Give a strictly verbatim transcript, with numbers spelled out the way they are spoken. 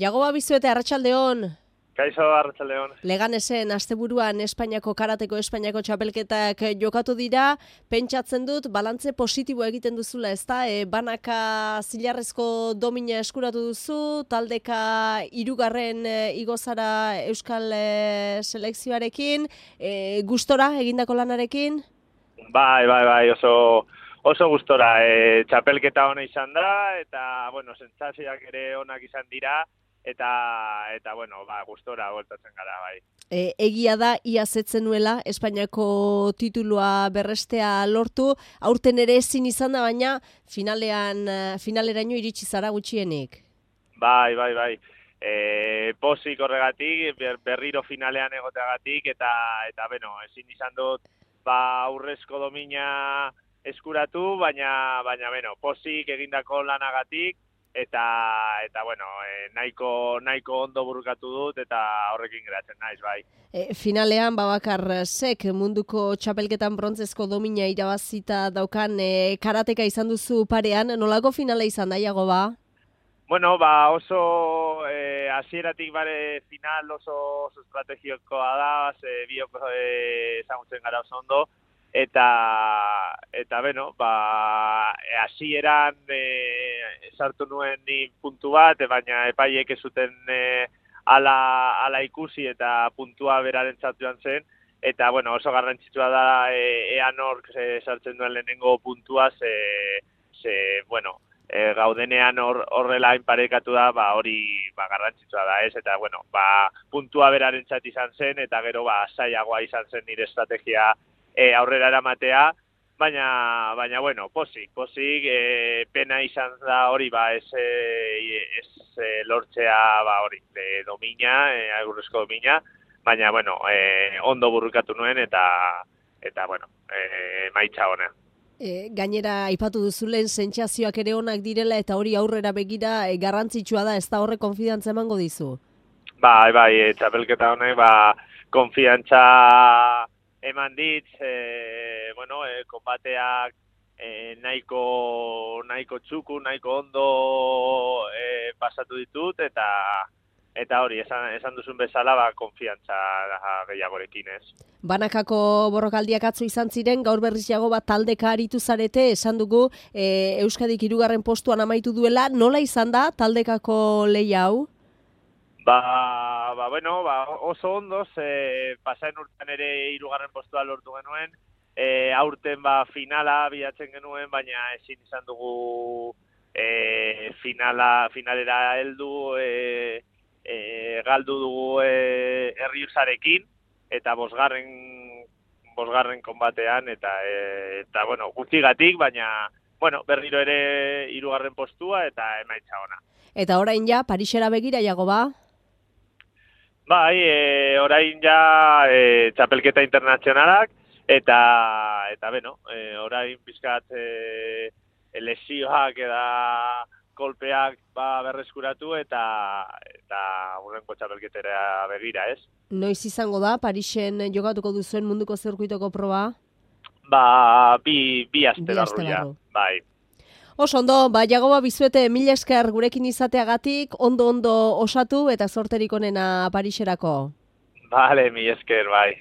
Jagoba Bizuete, arratsaldeon. Kaixo, arratsaldeon. Leganesen asteburuan Espainiako karateko Espainiako txapelketak jokatu dira. Pentsatzen dut balantze positiboa egiten duzula, ezta? E, banaka zilarrezko domina eskuratu duzu, taldeka hirugarren e, igo zara Euskal e, selekzioarekin, e, gustora egindako lanarekin? Bai, bai, bai, oso oso gustora. E, txapelketa ona izan da eta bueno, sentsazioak ere onak izan dira. Eta, eta bueno, ba, gustora bueltatzen gara, bai. E, egia da, ia zetzen nuela, Espainiako titulua berrestea lortu, aurten ere ezin izan da, baina finalean, finaleraino iritsi zara gutxienik. Bai, bai, bai. E, pozik horregatik, ber, berriro finalean egoteagatik, eta, eta bueno, ezin izan dut, ba, aurrezko domina eskuratu, baina, baina, bueno, pozik egindako lanagatik, eta eta bueno, e, nahiko nahiko ondo burukatu dut eta horrekin geratzen naiz, bai. E, finalean Babakar Sek munduko txapelketan brontzezko domina irabazita daukan e, karateka izan duzu parean, nolako finala izan da, Jagoba? Bueno, ba oso e, hasieratik bare final oso, oso estrategikoa da, ze biok e, ezagutzen gara oso ondo. Eta, eta beno, ba, hasieran e, sartu nuen ni puntu bat, baina epaiek ez zuten e, ala, ala ikusi eta puntua berarentzat joan zen. Eta, bueno, oso garrantzitsua da e, ea nork e, sartzen duen lehenengo puntua, ze, ze bueno, e, gaudenean hor, horrela inparekatu da, ba, hori ba, garrantzitsua da, ez? Eta, bueno, ba, puntua berarentzat izan zen, eta gero, ba, zailagoa izan zen nire estrategia E, aurrera eramatea, baina, baina bueno, pozik, pozik, e, pena izan da hori, ba, ez, e, ez e, lortzea, ba, hori, de domina, e, agurrezko domina, baina, bueno, e, ondo burrukatu nuen, eta, eta bueno, e, maitza honen. E, gainera, aipatu duzulen sentsazioak ere onak direla, eta hori aurrera begira e, garrantzitsua da, ez da horre konfidantza emango dizu? Bai, bai, e, txapelketa honek, ba, konfidantza eman dit, e, bueno, e, konbateak e, nahiko, nahiko txuku, nahiko ondo e, pasatu ditut, eta eta hori, esan, esan duzun bezala, ba, konfiantza gehiagorekin, ez. Banakako borrokaldiak atzo izan ziren, gaur berriz Jagoba taldeka aritu zarete, esan dugu e, Euskadik hirugarren postuan amaitu duela, nola izan da taldekako lehia hau? Ba, ba, bueno, ba, oso ondoz, e, pasaen urtean ere hirugarren postua lortu genuen, e, aurten ba, finala bilatzen genuen, baina ezin izan dugu e, finala, finalera heldu, e, e, galdu dugu e, Erriusarekin, eta bosgarren, bosgarren konbatean, eta, e, eta bueno, gutxigatik, baina bueno, berriro ere hirugarren postua eta emaitza ona. Eta orain ja, Parisera begira, Jagoba? Bai, e, orain ja e, txapelketa internazionalak, eta, eta beno, e, orain bizkat e, lesioak eta kolpeak ba, berreskuratu, eta, eta urrenko txapelketera begira, ez? Noiz izango da, Parisen jokatuko duzuen munduko zirkuitoko proba? Ba, bi, bi aste barru ja, bai. Oso ondo, ba, Jagoba Bizuete, mila esker gurekin izateagatik, ondo-ondo osatu eta zorterik onena Pariserako. Bale, mila esker, bai.